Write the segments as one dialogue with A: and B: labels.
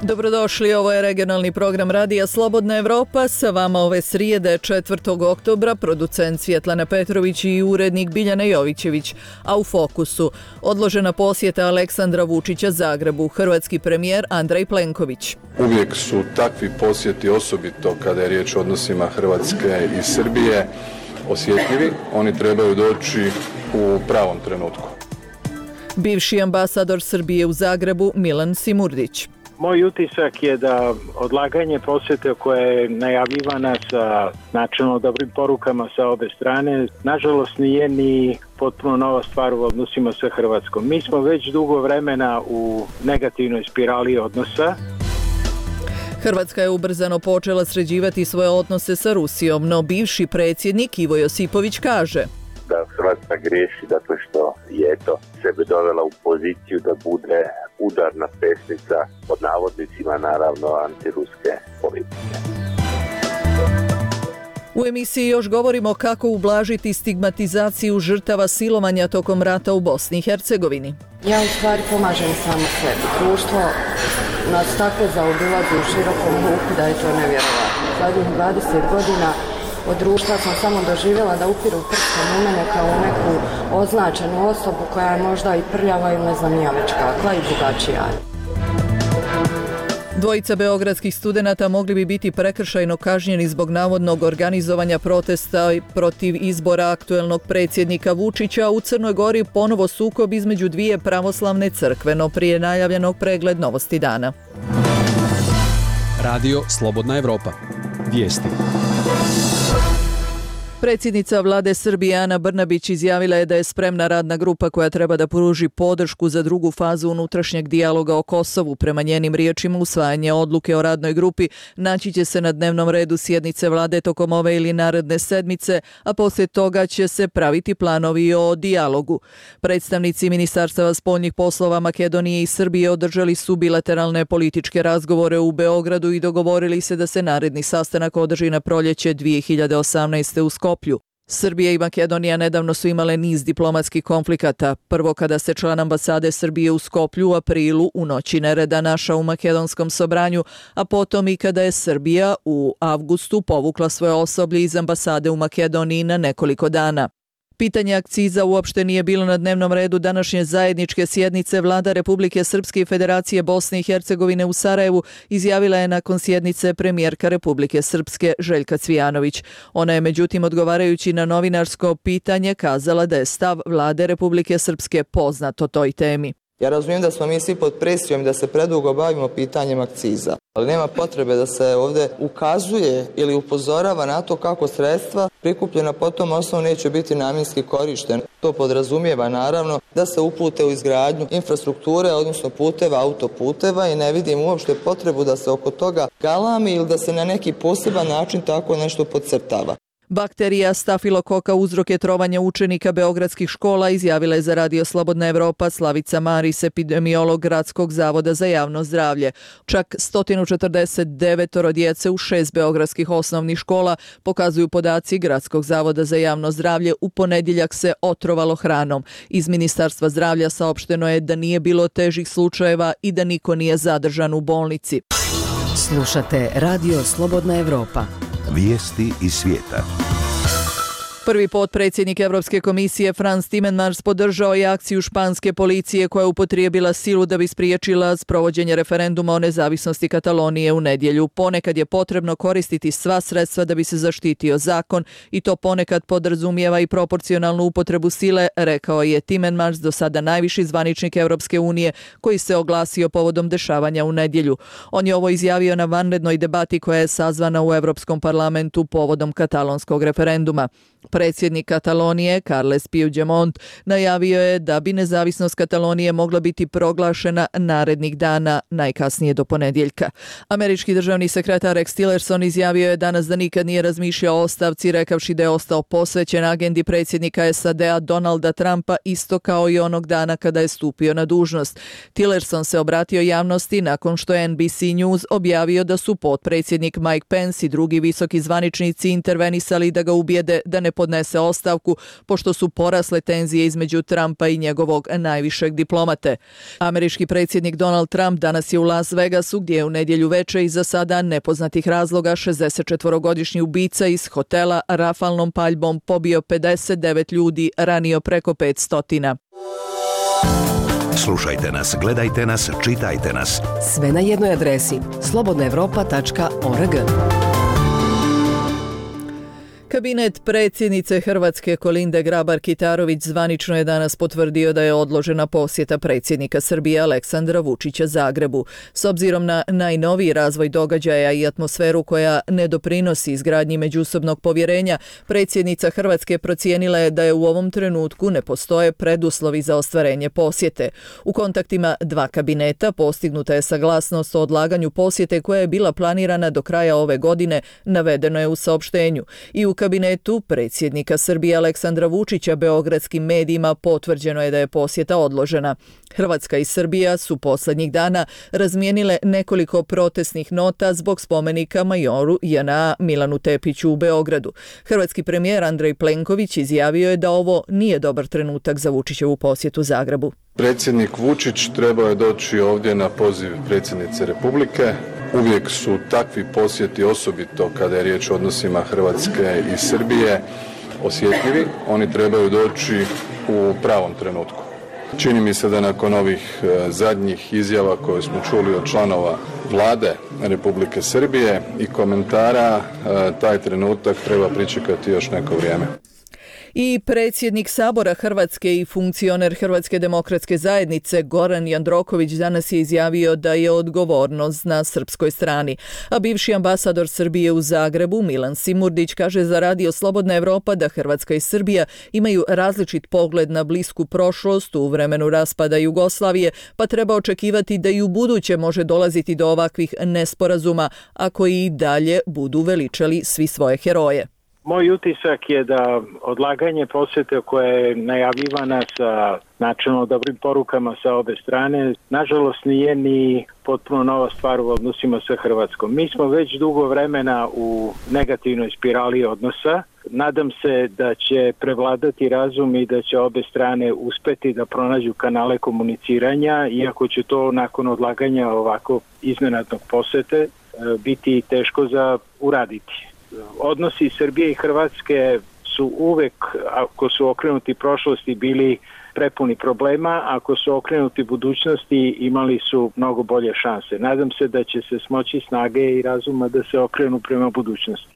A: Dobrodošli, ovo je regionalni program Radija Slobodna Evropa. Sa vama ove srijede 4. oktobra producent Svjetlana Petrović i urednik Biljana Jovićević. A u fokusu odložena posjeta Aleksandra Vučića Zagrebu, hrvatski premijer Andrej Plenković.
B: Uvijek su takvi posjeti, osobito kada je riječ o odnosima Hrvatske i Srbije, osjetljivi. Oni trebaju doći u pravom trenutku.
A: Bivši ambasador Srbije u Zagrebu Milan Simurdić.
C: Moj utisak je da odlaganje posjete koja je najavljivana sa načelno dobrim porukama sa obe strane, nažalost nije ni potpuno nova stvar u odnosima sa Hrvatskom. Mi smo već dugo vremena u negativnoj spirali odnosa.
A: Hrvatska je ubrzano počela sređivati svoje odnose sa Rusijom, no bivši predsjednik Ivo Josipović kaže
D: da Hrvatska griješi zato što je sebe dovela u poziciju da bude udarna pesnica, pod navodnicima naravno, antiruske politike.
A: U emisiji još govorimo kako ublažiti stigmatizaciju žrtava silovanja tokom rata u Bosni i Hercegovini.
E: Ja u stvari pomažem samo sebi. Društvo nas tako zaobilazi u širokom luku da je to nevjerovatno. Zadnjih 20 godina od društva sam samo doživjela da upiru prstom u mene kao u neku označenu osobu koja je možda i prljava ili ne znam ja već kakva i drugačija.
A: Dvojica beogradskih studenata mogli bi biti prekršajno kažnjeni zbog navodnog organizovanja protesta protiv izbora aktuelnog predsjednika Vučića. U Crnoj Gori ponovo sukob između dvije pravoslavne crkve, no prije najavljenog pregled novosti dana.
F: Radio Slobodna Evropa. Vijesti.
A: Predsjednica vlade Srbije Ana Brnabić izjavila je da je spremna radna grupa koja treba da pruži podršku za drugu fazu unutrašnjeg dijaloga o Kosovu. Prema njenim riječima, usvajanje odluke o radnoj grupi naći će se na dnevnom redu sjednice vlade tokom ove ili naredne sedmice, a poslije toga će se praviti planovi o dijalogu. Predstavnici Ministarstava spoljnih poslova Makedonije i Srbije održali su bilateralne političke razgovore u Beogradu i dogovorili se da se naredni sastanak održi na proljeće 2018. u Skoplju. Srbija i Makedonija nedavno su imale niz diplomatskih konflikata. Prvo kada se član ambasade Srbije u Skoplju u aprilu u noći nereda našao u makedonskom Sobranju, a potom i kada je Srbija u avgustu povukla svoje osoblje iz ambasade u Makedoniji na nekoliko dana. Pitanje akciza uopšte nije bilo na dnevnom redu današnje zajedničke sjednice. Vlada Republike Srpske i Federacije Bosne i Hercegovine u Sarajevu izjavila je nakon sjednice premijerka Republike Srpske Željka Cvijanović. Ona je međutim odgovarajući na novinarsko pitanje kazala da je stav Vlade Republike Srpske poznat o toj temi.
G: Ja razumijem da smo mi svi pod presijom i da se predugo bavimo pitanjem akciza, ali nema potrebe da se ovdje ukazuje ili upozorava na to kako sredstva prikupljena po tom osnovu neće biti namjenski korištena. To podrazumijeva naravno da se upute u izgradnju infrastrukture, odnosno puteva, autoputeva i ne vidim uopšte potrebu da se oko toga galami ili da se na neki poseban način tako nešto podcrtava.
A: Bakterija stafilokoka uzrok je trovanja učenika beogradskih škola, izjavila je za Radio Slobodna Evropa Slavica Maris, epidemiolog Gradskog zavoda za javno zdravlje. Čak 149 djece u 6 beogradskih osnovnih škola, pokazuju podaci Gradskog zavoda za javno zdravlje, u ponedjeljak se otrovalo hranom. Iz Ministarstva zdravlja saopšteno je da nije bilo težih slučajeva i da niko nije zadržan u bolnici.
H: Slušate Radio Slobodna Evropa.
I: Vijesti iz svijeta.
A: Prvi potpredsjednik Europske komisije Frans Timmermans podržao je akciju španske policije koja je upotrijebila silu da bi spriječila sprovođenje referenduma o nezavisnosti Katalonije u nedjelju. Ponekad je potrebno koristiti sva sredstva da bi se zaštitio zakon i to ponekad podrazumijeva i proporcionalnu upotrebu sile, rekao je Timmermans, do sada najviši zvaničnik Europske unije koji se oglasio povodom dešavanja u nedjelju. On je ovo izjavio na vanrednoj debati koja je sazvana u Europskom parlamentu povodom katalonskog referenduma. Predsjednik Katalonije, Carles Puigdemont, najavio je da bi nezavisnost Katalonije mogla biti proglašena narednih dana, najkasnije do ponedjeljka. Američki državni sekretar Rex Tillerson izjavio je danas da nikad nije razmišljao o ostavci, rekavši da je ostao posvećen agendi predsjednika SAD-a Donalda Trumpa, isto kao i onog dana kada je stupio na dužnost. Tillerson se obratio javnosti nakon što je NBC News objavio da su potpredsjednik Mike Pence i drugi visoki zvaničnici intervenisali da ga ubijede da ne podnese ostavku, pošto su porasle tenzije između Trumpa i njegovog najvišeg diplomate. Američki predsjednik Donald Trump danas je u Las Vegasu, gdje je u nedjelju veče iz za sada nepoznatih razloga 64-godišnji ubica iz hotela rafalnom paljbom pobio 59 ljudi, ranio preko 500.
I: Slušajte nas, gledajte nas, čitajte nas.
H: Sve na jednoj adresi slobodnaevropa.org.
A: Kabinet predsjednice Hrvatske Kolinde Grabar-Kitarović zvanično je danas potvrdio da je odložena posjeta predsjednika Srbije Aleksandra Vučića Zagrebu. S obzirom na najnoviji razvoj događaja i atmosferu koja ne doprinosi izgradnji međusobnog povjerenja, predsjednica Hrvatske procijenila je da je u ovom trenutku ne postoje preduslovi za ostvarenje posjete. U kontaktima dva kabineta postignuta je saglasnost o odlaganju posjete koja je bila planirana do kraja ove godine, navedeno je u saopštenju. I u kabinetu predsjednika Srbije Aleksandra Vučića beogradskim medijima potvrđeno je da je posjeta odložena. Hrvatska i Srbija su posljednjih dana razmijenile nekoliko protestnih nota zbog spomenika majoru JNA Milanu Tepiću u Beogradu. Hrvatski premijer Andrej Plenković izjavio je da ovo nije dobar trenutak za Vučićevu posjetu Zagrebu.
B: Predsjednik Vučić trebao je doći ovdje na poziv predsjednice Republike. Uvijek su takvi posjeti, osobito kada je riječ o odnosima Hrvatske i Srbije, osjetljivi. Oni trebaju doći u pravom trenutku. Čini mi se da nakon ovih zadnjih izjava koje smo čuli od članova Vlade Republike Srbije i komentara, taj trenutak treba pričekati još neko vrijeme.
A: I predsjednik Sabora Hrvatske i funkcioner Hrvatske demokratske zajednice Goran Jandroković danas je izjavio da je odgovornost na srpskoj strani. A bivši ambasador Srbije u Zagrebu Milan Simurdić kaže za Radio Slobodna Evropa da Hrvatska i Srbija imaju različit pogled na blisku prošlost u vremenu raspada Jugoslavije, pa treba očekivati da i u buduće može dolaziti do ovakvih nesporazuma ako i dalje budu veličali svi svoje heroje.
C: Moj utisak je da odlaganje posjete koja je najavljivana sa načelno dobrim porukama sa obe strane, nažalost nije ni potpuno nova stvar u odnosima sa Hrvatskom. Mi smo već dugo vremena u negativnoj spirali odnosa. Nadam se da će prevladati razum i da će obe strane uspeti da pronađu kanale komuniciranja, iako će to nakon odlaganja ovako iznenadnog posjete biti teško za uraditi. Odnosi Srbije i Hrvatske su uvek, ako su okrenuti prošlosti, bili prepuni problema, ako su okrenuti budućnosti, imali su mnogo bolje šanse. Nadam se da će se smoći snage i razuma da se okrenu prema budućnosti.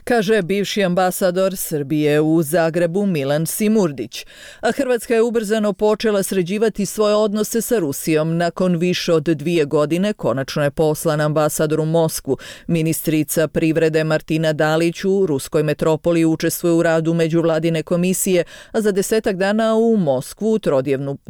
A: Kaže bivši ambasador Srbije u Zagrebu Milan Simurdić. A Hrvatska je ubrzano počela sređivati svoje odnose sa Rusijom. Nakon više od 2 godine konačno je poslan ambasador u Moskvu. Ministrica privrede Martina Dalić u ruskoj metropoli učestvuje u radu međuvladine komisije, a za 10 dana u Moskvu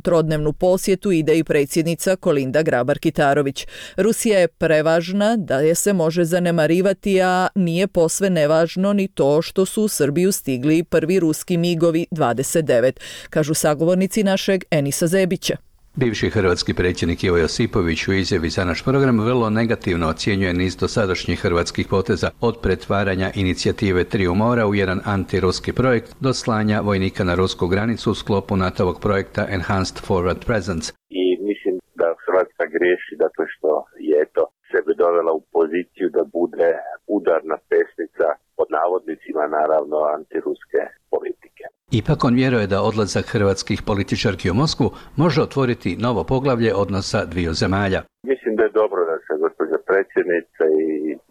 A: trodnevnu posjetu ide i predsjednica Kolinda Grabar-Kitarović. Rusija je prevažna da je se može zanemarivati, a nije posve nevažno ni to što su u Srbiju stigli prvi ruski migovi 29, kažu sagovornici našeg Enisa Zebića.
J: Bivši hrvatski predsjednik Ivo Josipović u izjavi za naš program vrlo negativno ocjenjuje niz dosadašnjih hrvatskih poteza, od pretvaranja inicijative Triju mora u jedan antiruski projekt do slanja vojnika na rusku granicu u sklopu NATO-ovog projekta Enhanced Forward Presence.
D: I mislim da Hrvatska griješi zato što je sebe dovela u poziciju da bude udarna pesnica, pod navodnicima naravno, antiruske politike.
J: Ipak on vjeruje da odlazak hrvatskih političarki u Moskvu može otvoriti novo poglavlje odnosa dviju zemalja.
D: Mislim da je dobro da se gospođa predsjednica i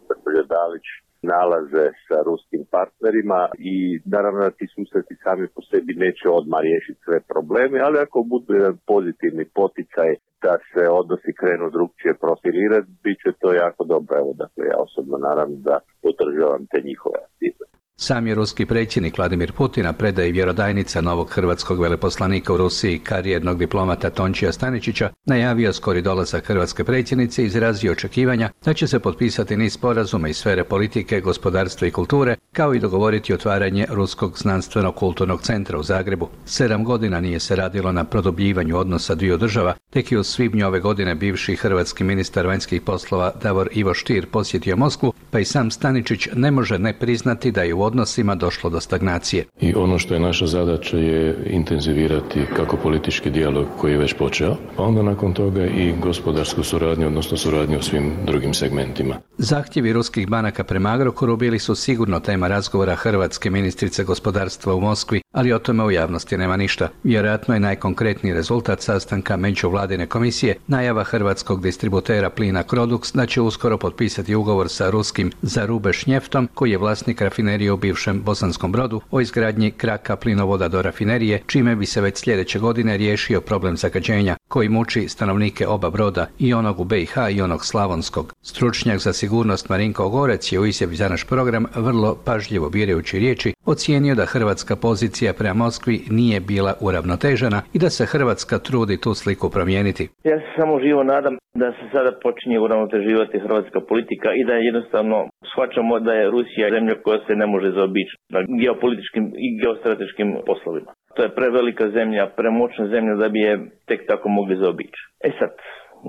D: gospođa Dalić nalaze sa ruskim partnerima i naravno da ti susreti sami po sebi neće odmah riješiti sve probleme, ali ako budu jedan pozitivni poticaj da se odnosi krenu drugčije profilirati, bit će to jako dobro. Evo, dakle, ja osobno naravno da podržavam te njihove aktivnosti.
J: Sam je ruski predsjednik Vladimir Putin, a predaje vjerodajnica novog hrvatskog veleposlanika u Rusiji, karijernog diplomata Tončija Staničića, najavio skori dolazak hrvatske predsjednice i izrazio očekivanja da će se potpisati niz sporazuma iz sfere politike, gospodarstva i kulture, kao i dogovoriti otvaranje Ruskog znanstveno-kulturnog centra u Zagrebu. 7 godina nije se radilo na produbljivanju odnosa dviju država, tek je u svibnju ove godine bivši hrvatski ministar vanjskih poslova Davor Ivo Stier posjetio Moskvu, pa i sam Staničić ne može ne priznati da je u odnosima došlo do stagnacije.
K: I ono što je naša zadaća je intenzivirati kako politički dijalog koji je već počeo, a onda nakon toga i gospodarsku suradnju, odnosno suradnju u svim drugim segmentima.
J: Zahtjevi ruskih banaka prema Agrokoru bili su sigurno tema razgovora hrvatske ministrice gospodarstva u Moskvi, ali o tome u javnosti nema ništa. Vjerojatno je najkonkretniji rezultat sastanka međuvladine komisije najava hrvatskog distributera plina Crodux da će uskoro potpisati ugovor sa ruskim Zarubeš Njeftom, koji je vlasnik rafinerije u bivšem Bosanskom Brodu, o izgradnji kraka plinovoda do rafinerije, čime bi se već sljedeće godine riješio problem zagađenja koji muči stanovnike oba broda, i onog u BiH i onog slavonskog. Stručnjak za sigurnost Marinko Ogorec je u izjavi za naš program, vrlo pažljivo birajući riječi, ocijenio da hrvatska pozicija prema Moskvi nije bila uravnotežena i da se Hrvatska trudi tu sliku promijeniti.
L: Ja se samo živo nadam da se sada počinje uravnoteživati hrvatska politika i da jednostavno shvaćamo da je Rusija zemlja koja se ne može zaobići na geopolitičkim i geostrateškim poslovima. To je prevelika zemlja, premoćna zemlja da bi je tek tako mogli zaobići. Sad,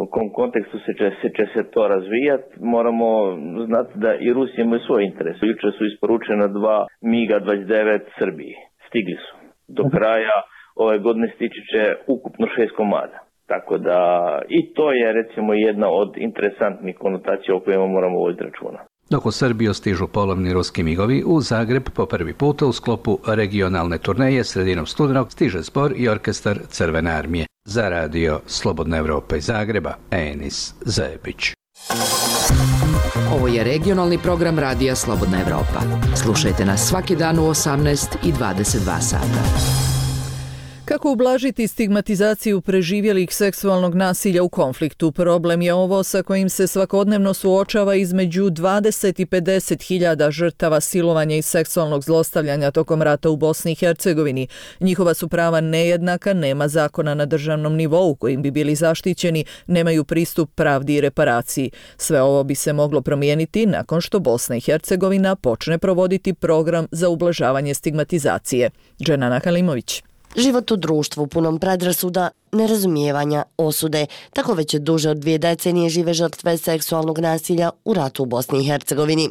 L: u kom kontekstu će se to razvijati, moramo znati da i Rusija imaju svoj interes. Jučer su isporučena 2 MiG-29 Srbiji. Stigli su. Do kraja ove godine stići će ukupno 6 komada. Tako da i to je recimo jedna od interesantnih konotacija o kojima moramo voditi računa.
J: Dok u Srbiju stižu polovni ruski migovi, u Zagreb po prvi puta u sklopu regionalne turneje sredinom studenog stiže zbor i orkestar Crvene armije. Za radio Slobodna Evropa iz Zagreba, Enis Zebić.
M: Ovo je regionalni program radija Slobodna Evropa. Slušajte nas svaki dan u 18 i 22 sata.
A: Kako ublažiti stigmatizaciju preživjelih seksualnog nasilja u konfliktu? Problem je ovo sa kojim se svakodnevno suočava između 20 i 50 hiljada žrtava silovanja i seksualnog zlostavljanja tokom rata u Bosni i Hercegovini. Njihova su prava nejednaka, nema zakona na državnom nivou kojim bi bili zaštićeni, nemaju pristup pravdi i reparaciji. Sve ovo bi se moglo promijeniti nakon što Bosna i Hercegovina počne provoditi program za ublažavanje stigmatizacije. Dženana Halimović.
N: Život u društvu punom predrasuda, nerazumijevanja, osude. Tako već duže od 2 decenije žive žrtve seksualnog nasilja u ratu u Bosni i Hercegovini.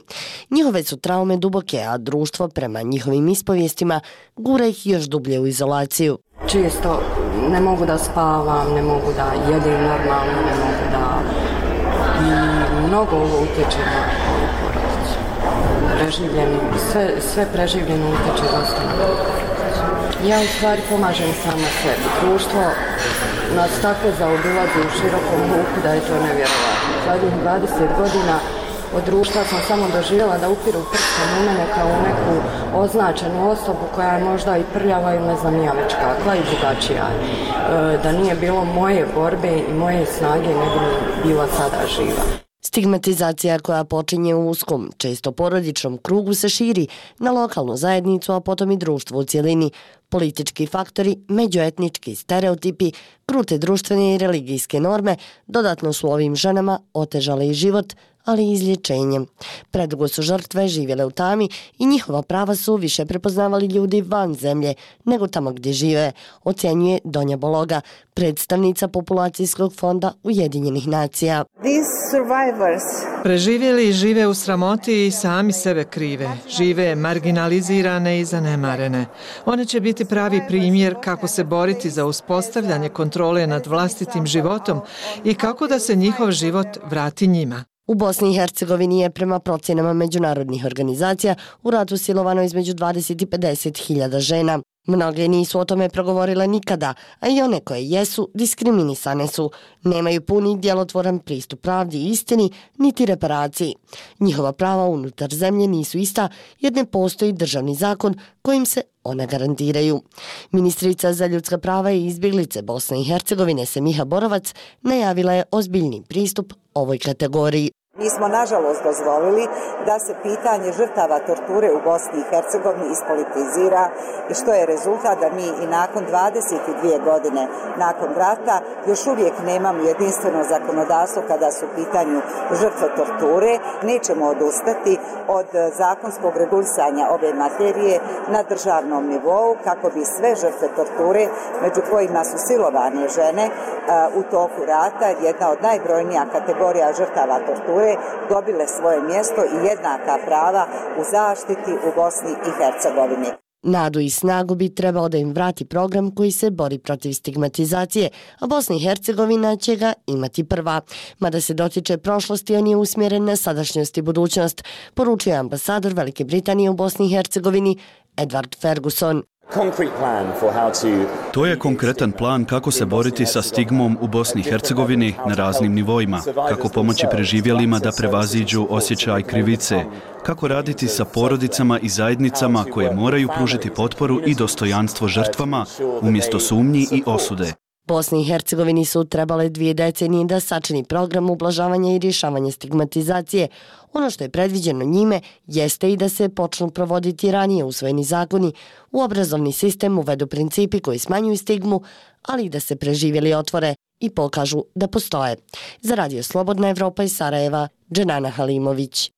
N: Njihove su traume duboke, a društvo prema njihovim ispovijestima gura ih još dublje u izolaciju.
E: Često ne mogu da spavam, ne mogu da jedem normalno, ne mogu da... I mnogo ovo utječe na porodicu. Preživljeno, sve preživljeno utječe dosta na porodicu. Ja u stvari pomažem sama sebi. Društvo nas tako zaobilazi u širokom luku da je to nevjerovatno. Zadnjih 20 godina od društva sam samo doživjela da upiru prstom u mene kao u neku označenu osobu koja je možda i prljava ili ne znam ja već kakva i drugačija. Da nije bilo moje borbe i moje snage ne bi bila sada živa.
N: Stigmatizacija koja počinje u uskom, često porodičnom krugu se širi na lokalnu zajednicu, a potom i društvo u cjelini. Politički faktori, međuetnički stereotipi, krute društvene i religijske norme dodatno su ovim ženama otežale i život, ali i izlječenjem. Predugo su žrtve živjele u tami i njihova prava su više prepoznavali ljudi van zemlje nego tamo gdje žive, ocjenjuje Donja Bologa, predstavnica Populacijskog fonda Ujedinjenih nacija.
O: Preživjeli žive u sramoti i sami sebe krive. Žive marginalizirane i zanemarene. One će biti pravi primjer kako se boriti za uspostavljanje kontrole nad vlastitim životom i kako da se njihov život vrati njima.
N: U Bosni i Hercegovini je prema procjenama međunarodnih organizacija u ratu silovano između 20 i 50 hiljada žena. Mnoge nisu o tome progovorile nikada, a i one koje jesu diskriminisane su. Nemaju puni djelotvoran pristup pravdi i istini, niti reparaciji. Njihova prava unutar zemlje nisu ista jer ne postoji državni zakon kojim se ona garantiraju. Ministrica za ljudska prava i izbjeglice Bosne i Hercegovine Semiha Borovac najavila je ozbiljni pristup ovoj kategoriji.
P: Mi smo nažalost dozvolili da se pitanje žrtava torture u Bosni i Hercegovini ispolitizira i što je rezultat da mi i nakon 22 godine nakon rata još uvijek nemamo jedinstveno zakonodavstvo kada su u pitanju žrtve torture. Nećemo odustati od zakonskog regulisanja ove materije na državnom nivou kako bi sve žrtve torture, među kojima su silovane žene u toku rata, jedna od najbrojnija kategorija žrtava torture, torture dobile svoje mjesto i jednaka prava u zaštiti u Bosni i Hercegovini.
N: Nadu i snagu bi trebao da im vrati program koji se bori protiv stigmatizacije, a Bosna i Hercegovina će ga imati prva. Mada se dotiče prošlosti, on je usmjeren na sadašnjost i budućnost, poručuje ambasador Velike Britanije u Bosni i Hercegovini Edward Ferguson.
Q: To je konkretan plan kako se boriti sa stigmom u Bosni i Hercegovini na raznim nivoima, kako pomoći preživjelima da prevaziđu osjećaj krivice, kako raditi sa porodicama i zajednicama koje moraju pružiti potporu i dostojanstvo žrtvama umjesto sumnji i osude.
N: Bosni i Hercegovini su trebale 2 decenije da sačini program ublažavanja i rješavanja stigmatizacije. Ono što je predviđeno njime jeste i da se počnu provoditi ranije usvojeni zakoni, u obrazovni sistem uvedu principi koji smanjuju stigmu, ali i da se preživjeli otvore i pokažu da postoje. Za Radio Slobodna Evropa iz Sarajeva, Dženana Halimović.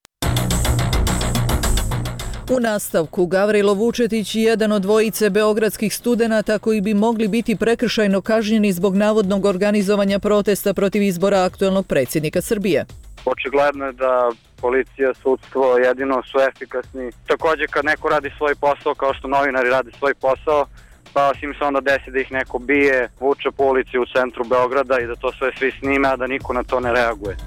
A: U nastavku, Gavrilo Vučetić, jedan od dvojice beogradskih studenata koji bi mogli biti prekršajno kažnjeni zbog navodnog organizovanja protesta protiv izbora aktuelnog predsjednika Srbije.
R: Očigledno je da policija, sudstvo jedino su efikasni. Također kad neko radi svoj posao kao što novinari rade svoj posao, pa im se onda desi da ih neko bije, vuče po ulici u centru Beograda i da to sve svi snime, a da niko na to ne reaguje.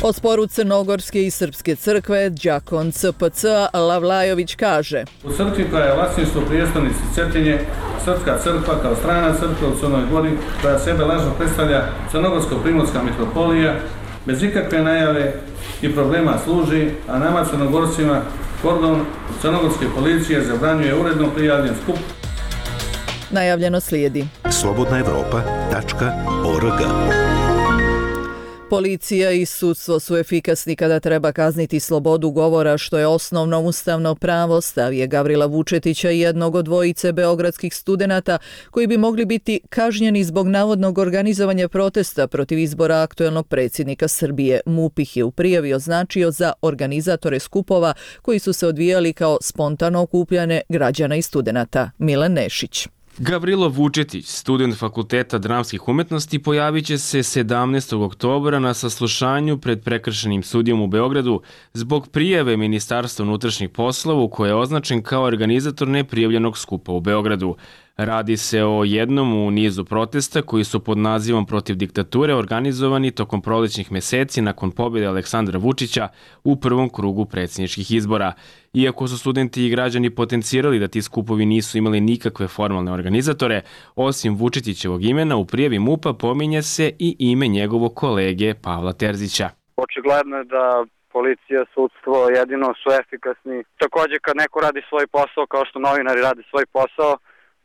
A: O sporu Crnogorske i Srpske crkve, đakon CPC Lavlajović kaže:
S: U crkvi koja je vlasništvo prijestolnice Cetinje, Srpska crkva kao strana crkva u Crnoj Gori, koja sebe lažno predstavlja Crnogorsko-Primorska mitropolija, bez ikakve najave i problema služi, a nama Crnogorcima kordon Crnogorske policije zabranjuje uredno prijavljen skup.
A: Najavljeno slijedi.
I: slobodnaevropa.org.
A: Policija i sudstvo su efikasni kada treba kazniti slobodu govora, što je osnovno ustavno pravo, stav je Gavrila Vučetića, jednog od dvojice beogradskih studenata koji bi mogli biti kažnjeni zbog navodnog organizovanja protesta protiv izbora aktuelnog predsjednika Srbije. MUP ih je u prijavi označio za organizatore skupova koji su se odvijali kao spontano okupljane građana i studenata. Milan Nešić.
T: Gavrilo Vučetić, student Fakulteta dramskih umetnosti, pojavit će se 17. oktobra na saslušanju pred prekršajnim sudijom u Beogradu zbog prijave Ministarstva unutrašnjih poslova u koje je označen kao organizator neprijavljenog skupa u Beogradu. Radi se o jednom u nizu protesta koji su pod nazivom protiv diktature organizovani tokom prolećnih meseci nakon pobjede Aleksandra Vučića u prvom krugu predsjedničkih izbora. Iako su studenti i građani potencirali da ti skupovi nisu imali nikakve formalne organizatore, osim Vučetićevog imena u prijavi MUP-a pominje se i ime njegovog kolege Pavla Terzića.
R: Očigledno je da policija, sudstvo jedino su efikasni. Također kad neko radi svoj posao kao što novinari rade svoj posao,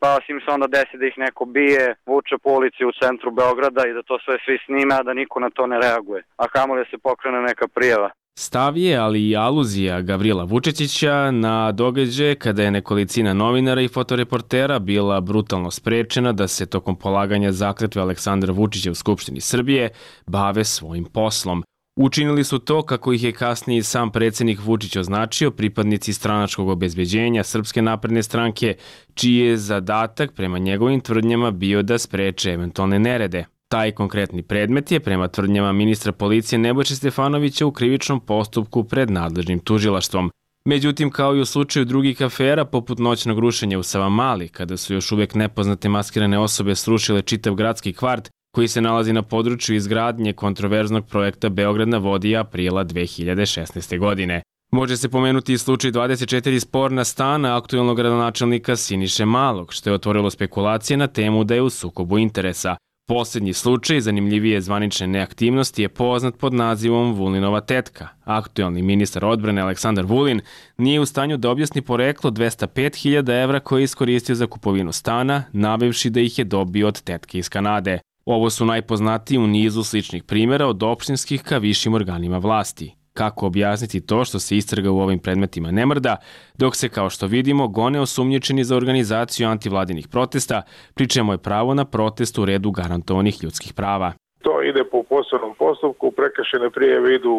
R: pa im se onda desi da ih neko bije, vuče po ulici u centru Beograda i da to sve svi snime, a da niko na to ne reaguje. A kamoli se pokrene neka prijava.
T: Stav je, ali i aluzija Gavrila Vučetića na događaje kada je nekolicina novinara i fotoreportera bila brutalno sprečena da se tokom polaganja zakletve Aleksandra Vučića u Skupštini Srbije bave svojim poslom. Učinili su to, kako ih je kasnije sam predsjednik Vučić označio, pripadnici stranačkog obezbeđenja Srpske napredne stranke, čiji je zadatak prema njegovim tvrdnjama bio da spreče eventualne nerede. Taj konkretni predmet je, prema tvrdnjama ministra policije Nebojše Stefanovića, u krivičnom postupku pred nadležnim tužilaštvom. Međutim, kao i u slučaju drugih afera, poput noćnog rušenja u Savamali, kada su još uvijek nepoznate maskirane osobe srušile čitav gradski kvart, koji se nalazi na području izgradnje kontroverznog projekta Beograd na vodi aprila 2016. godine. Može se pomenuti i slučaj 24 sporna stana aktuelnog gradonačelnika Siniše Malog, što je otvorilo spekulacije na temu da je u sukobu interesa. Posljednji slučaj, zanimljivije zvanične neaktivnosti, je poznat pod nazivom Vulinova tetka. Aktuelni ministar odbrane Aleksandar Vulin nije u stanju da objasni poreklo 205.000 evra koje je iskoristio za kupovinu stana, navevši da ih je dobio od tetke iz Kanade. Ovo su najpoznatiji u nizu sličnih primjera od opštinskih ka višim organima vlasti. Kako objasniti to što se istraga u ovim predmetima ne mrda, dok se, kao što vidimo, gone osumnjičeni za organizaciju antivladinih protesta, pri čemu je pravo na protest u redu garantovanih ljudskih prava.
U: To ide po posebnom postupku, prekršajne prijave idu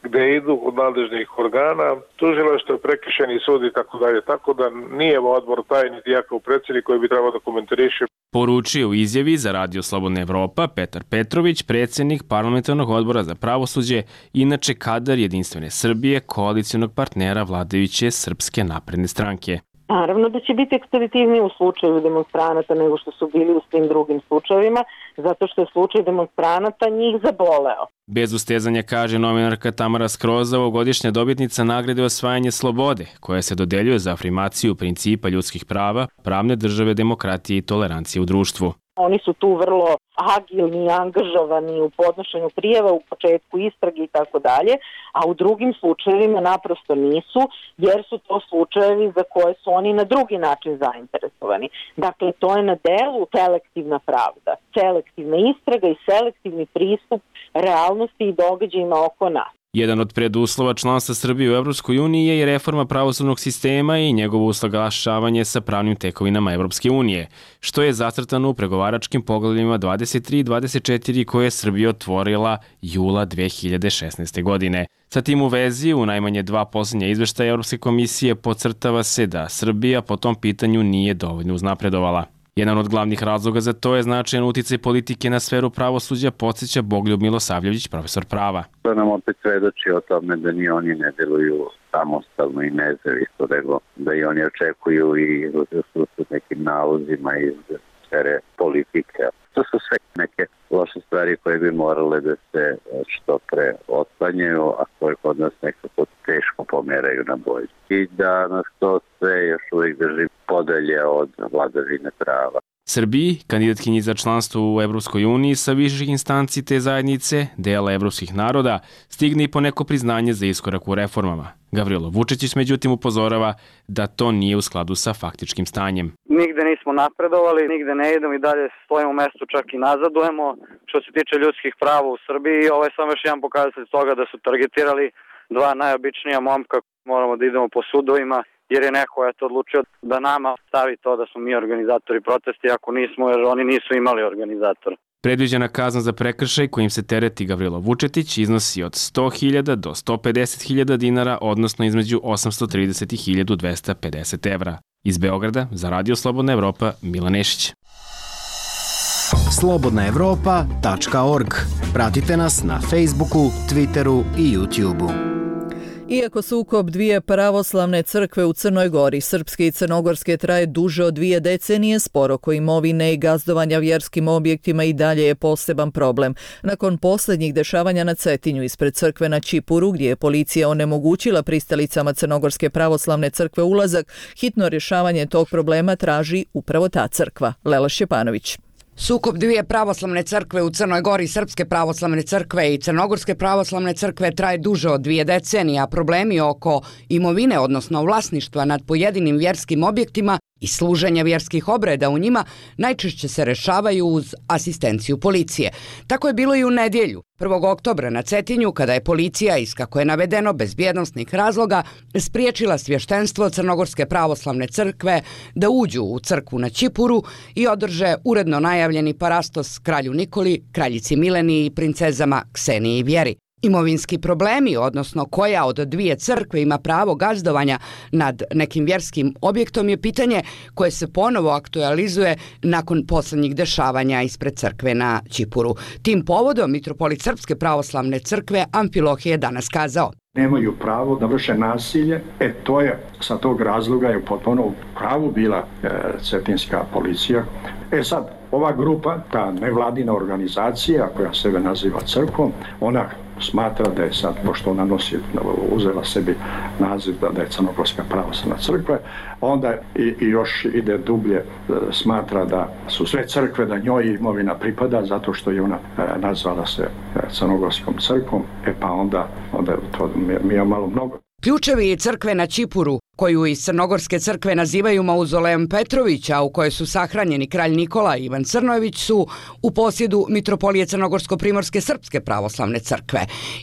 U: gde idu od nadležnih organa, tužilaštvo, prekršajni sud i tako dalje. Tako da nije odbor taj niti ja kao predsjednik koji bi trebao da komentariše.
T: Poručio u izjavi za Radio Slobodna Evropa Petar Petrović, predsjednik parlamentarnog odbora za pravosuđe, inače kadar Jedinstvene Srbije, koalicionog partnera vladajuće Srpske napredne stranke.
V: Naravno da će biti ekspeditivniji u slučaju demonstranata nego što su bili u svim drugim slučajevima, zato što je slučaj demonstranata njih zaboleo.
T: Bez ustezanja, kaže novinarka Tamara Skroza, ovogodišnja dobitnica nagrade Osvajanje slobode, koja se dodeljuje za afirmaciju principa ljudskih prava, pravne države, demokratije i tolerancije u društvu.
V: Oni su tu vrlo agilni i angažovani u podnošenju prijava, u početku istrage i tako dalje, a u drugim slučajevima naprosto nisu, jer su to slučajevi za koje su oni na drugi način zainteresovani. Dakle, to je na delu selektivna pravda, selektivna istraga i selektivni pristup realnosti i događajima oko nas.
T: Jedan od preduslova članstva Srbije u Evropskoj uniji je i reforma pravosudnog sistema i njegovo usaglašavanje sa pravnim tekovinama Evropske unije, što je zacrtano u pregovaračkim poglavljima 23 i 24 koje je Srbija otvorila jula 2016. godine. Sa tim u vezi, u najmanje 2 posljednja izveštaja Evropske komisije podcrtava se da Srbija po tom pitanju nije dovoljno uznapredovala. Jedan od glavnih razloga za to je značajan uticaj politike na sferu pravosuđa, podsjeća Bogoljub Milosavljević, profesor prava.
W: To nam opet svedoči o tome da ni oni ne deluju samostalno i nezavisno, nego da i oni očekuju i su nekim nalozima iz sfere politike. To su sve neke loše stvari koje bi morale da se što pre otklanjaju, a koje kod nas nekako teško pomeraju na bolje. I da nas to sve još uvijek drži podalje od vladavine prava.
T: Srbiji, kandidatkinji za članstvo u Evropskoj uniji sa viših instanci te zajednice, dela evropskih naroda, stigne i poneko priznanje za iskorak u reformama. Gavrilo Vučić međutim upozorava da to nije u skladu sa faktičkim stanjem.
R: Nigde nismo napredovali, nigde ne idemo i dalje stojimo u mestu, čak i nazadujemo. Što se tiče ljudskih prava u Srbiji, ovo je samo još jedan pokazatelj toga da su targetirali 2 najobičnija momka. Moramo da idemo po sudovima, jer je neko odlučio da nama stavi to da smo mi organizatori protesta, ako nismo, jer oni nisu imali organizatora.
T: Predviđena kazna za prekršaj kojim se tereti Gavrilo Vučetić iznosi od 100.000 do 150.000 dinara, odnosno između 830 i 1.250 evra. Iz Beograda, za Radio Slobodna Evropa, Milan Nešić.
X: slobodnaevropa.org. Pratite nas na Facebooku, Twitteru i YouTubeu.
A: Iako sukob dvije pravoslavne crkve u Crnoj Gori, srpske i crnogorske, traje duže od 2 decenije, spor oko imovine i gazdovanja vjerskim objektima i dalje je poseban problem. Nakon posljednjih dešavanja na Cetinju ispred crkve na Čipuru, gdje je policija onemogućila pristalicama Crnogorske pravoslavne crkve ulazak, hitno rješavanje tog problema traži upravo ta crkva. Lela Šćepanović.
Y: Sukob dvije pravoslavne crkve u Crnoj Gori, Srpske pravoslavne crkve i Crnogorske pravoslavne crkve, traje duže od 2 decenije, a problemi oko imovine, odnosno vlasništva nad pojedinim vjerskim objektima i služenja vjerskih obreda u njima najčešće se rešavaju uz asistenciju policije. Tako je bilo i u nedjelju, 1. oktobra na Cetinju, kada je policija, iz kako je navedeno bezbjednosnih razloga, spriječila svještenstvo Crnogorske pravoslavne crkve da uđu u crkvu na Čipuru i održe uredno najavljeni parastos kralju Nikoli, kraljici Mileni i princezama Kseniji i Vjeri. Imovinski problemi, odnosno koja od 2 crkve ima pravo gazdovanja nad nekim vjerskim objektom, je pitanje koje se ponovo aktualizuje nakon posljednjih dešavanja ispred crkve na Čipuru. Tim povodom mitropolit Srpske pravoslavne crkve Amfilohije je danas kazao:
Z: nemaju pravo da vrše nasilje. To je sa tog razloga je potpuno u pravu bila cetinska policija. Sad, ova grupa, ta nevladina organizacija koja sebe naziva crkvom, ona smatra da je sad, pošto ona uzela sebi naziv da je Crnogorska pravoslavna crkva, onda i još ide dublje, smatra da su sve crkve, da njoj imovina pripada zato što je ona nazvala se Crnogorskom crkvom, pa onda to mi je malo mnogo.
Y: Ključevi crkve na Čipuru, koju iz Crnogorske crkve nazivaju Mauzolejom Petrovića, u kojoj su sahranjeni kralj Nikola i Ivan Crnojević, su u posjedu Mitropolije Crnogorsko-primorske srpske pravoslavne crkve.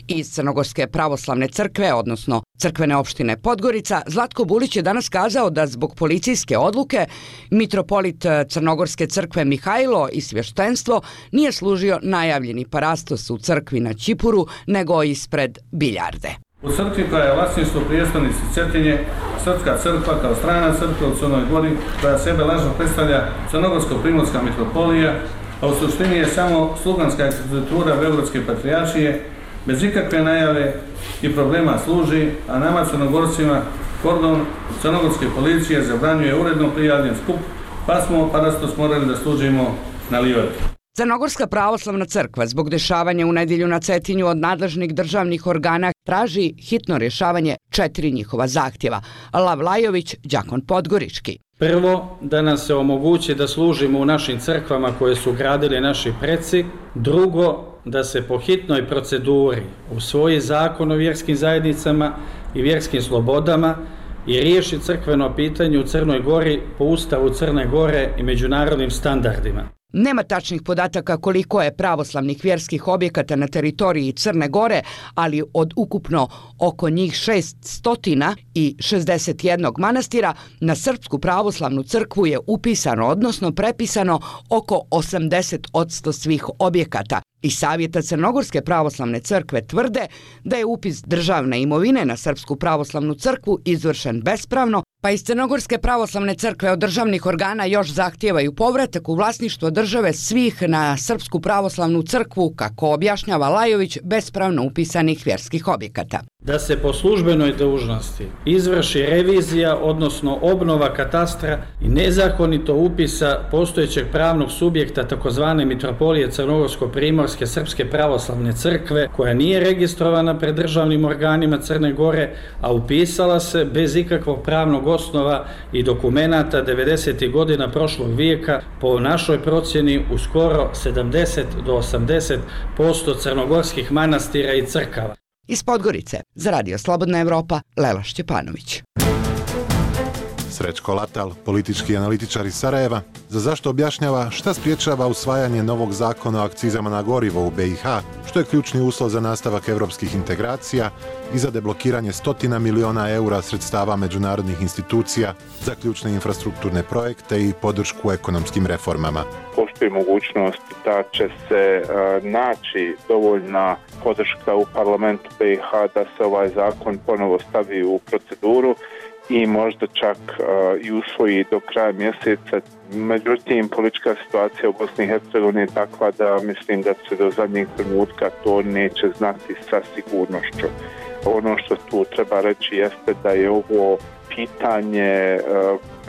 Y: Iz Crnogorske pravoslavne crkve, odnosno crkvene opštine Podgorica, Zlatko Bulić je danas kazao da zbog policijske odluke mitropolit Crnogorske crkve Mihajlo i svještenstvo nije služio najavljeni parastos u crkvi na Ćipuru, nego ispred biljarde.
S: U crkvi koja je vlasništvo prijestolnice Cetinje, Srpska crkva kao strana crkva u Crnoj Gori, koja sebe lažno predstavlja Crnogorsko-primorska mitropolija, a u suštini je samo sluganska ekspeditura Beogradske patrijaršije, bez ikakve najave i problema služi, a nama Crnogorcima kordon Crnogorske policije zabranjuje uredno prijavljen skup, pa smo parastos morali da služimo na livadi.
Y: Crnogorska pravoslavna crkva zbog dešavanja u nedjelju na Cetinju od nadležnih državnih organa traži hitno rješavanje 4 njihova zahtjeva. Lav Lajović, đakon Podgorički.
B: Prvo, da nam se omogući da služimo u našim crkvama koje su gradili naši preci. Drugo, da se po hitnoj proceduri usvoji zakon o vjerskim zajednicama i vjerskim slobodama i riješi crkveno pitanje u Crnoj Gori po Ustavu Crne Gore i međunarodnim standardima.
Y: Nema tačnih podataka koliko je pravoslavnih vjerskih objekata na teritoriji Crne Gore, ali od ukupno oko njih 661 manastira na Srpsku pravoslavnu crkvu je upisano, odnosno prepisano oko 80% svih objekata. Iz Savjeta Crnogorske pravoslavne crkve tvrde da je upis državne imovine na Srpsku pravoslavnu crkvu izvršen bespravno, pa iz Crnogorske pravoslavne crkve od državnih organa još zahtijevaju povratak u vlasništvo države svih na Srpsku pravoslavnu crkvu, kako objašnjava Lajović, bespravno upisanih vjerskih objekata.
B: Da se po službenoj dužnosti izvrši revizija, odnosno obnova katastra i nezakonito upisa postojećeg pravnog subjekta takozvane Mitropolije Crnogorsko-primorske srpske pravoslavne crkve, koja nije registrovana pred državnim organima Crne Gore, a upisala se bez ikakvog pravnog osnova i dokumenata 90. godina prošlog vijeka, po našoj procjeni u skoro 70 do 80% crnogorskih manastira i crkava.
Y: Iz Podgorice, za Radio Slobodna Evropa, Lela Šćepanović.
C: Srećko Latal, politički analitičar iz Sarajeva, za zašto objašnjava šta spriječava usvajanje novog zakona o akcizama na gorivo u BiH, što je ključni uslov za nastavak europskih integracija i za deblokiranje 100 miliona eura sredstava međunarodnih institucija za ključne infrastrukturne projekte i podršku ekonomskim reformama.
D: Postoji mogućnost da će se naći dovoljna podrška u parlamentu BiH da se ovaj zakon ponovo stavi u proceduru i možda čak i usvoji do kraja mjeseca. Međutim, politička situacija u Bosni i Hercegovini je takva da mislim da se do zadnjeg trenutka to neće znati sa sigurnošću. Ono što tu treba reći jeste da je ovo pitanje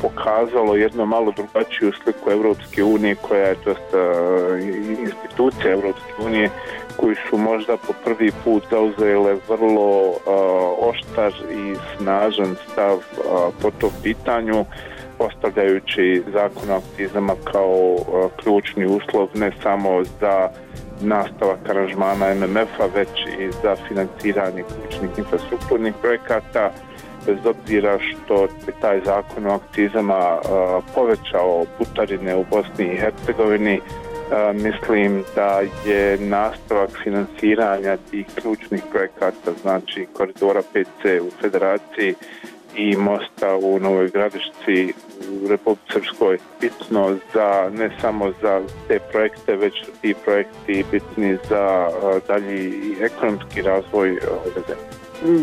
D: pokazalo jednu malo drugačiju sliku Europske unije, koja je institucija Europske unije, koji su možda po prvi put zauzele vrlo oštar i snažan stav po tom pitanju, postavljajući zakon o akcizama kao ključni uslov ne samo za nastavak aranžmana MMF-a, već i za financiranje ključnih infrastrukturnih projekata. Bez obzira što je taj zakon o akcizama povećao putarine u Bosni i Hercegovini, mislim da je nastavak financiranja tih ključnih projekata, znači koridora 5C u Federaciji i mosta u Novoj Gradišci u Republici Srpskoj bitno za, ne samo za te projekte, već su ti projekti bitni za dalji ekonomski razvoj ove zemlje.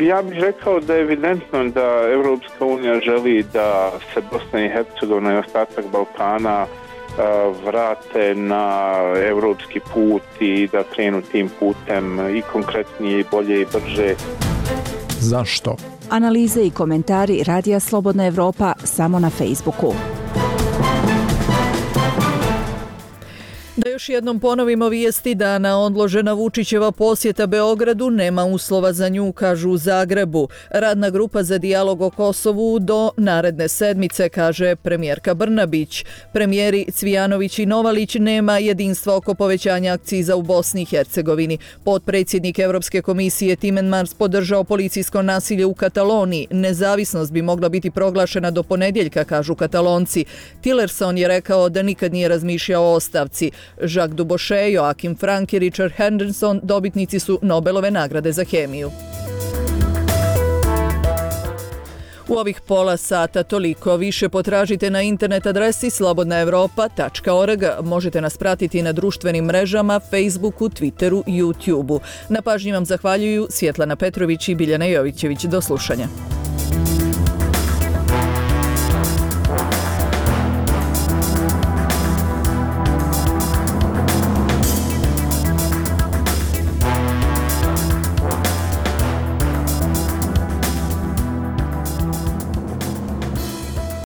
D: Ja bih rekao da je evidentno da Europska unija želi da se Bosna i Hercegovina i ostatak Balkana vrate na europski put i da krenu tim putem i konkretnije, i bolje i brže.
F: Zašto? Analize i komentari Radija Slobodna Evropa samo na Facebooku.
A: Da još jednom ponovimo vijesti dana, odložena Vučićeva posjeta Beogradu, nema uslova za nju, kažu u Zagrebu. Radna grupa za dijalog o Kosovu do naredne sedmice, kaže premijerka Brnabić. Premijeri Cvijanović i Novalić nema jedinstva oko povećanja akciza u Bosni i Hercegovini. Potpredsjednik Evropske komisije Timmermans podržao policijsko nasilje u Kataloniji. Nezavisnost bi mogla biti proglašena do ponedjeljka, kažu Katalonci. Tillerson je rekao da nikad nije razmišljao o ostavci. Jacques Dubochet, Joachim Frank i Richard Henderson dobitnici su Nobelove nagrade za hemiju. U ovih pola sata toliko. Više potražite na internet adresi slobodnaevropa.org. Možete nas pratiti na društvenim mrežama, Facebooku, Twitteru i YouTubeu. Na pažnji vam zahvaljuju Svjetlana Petrović i Biljana Jovićević. Do slušanja.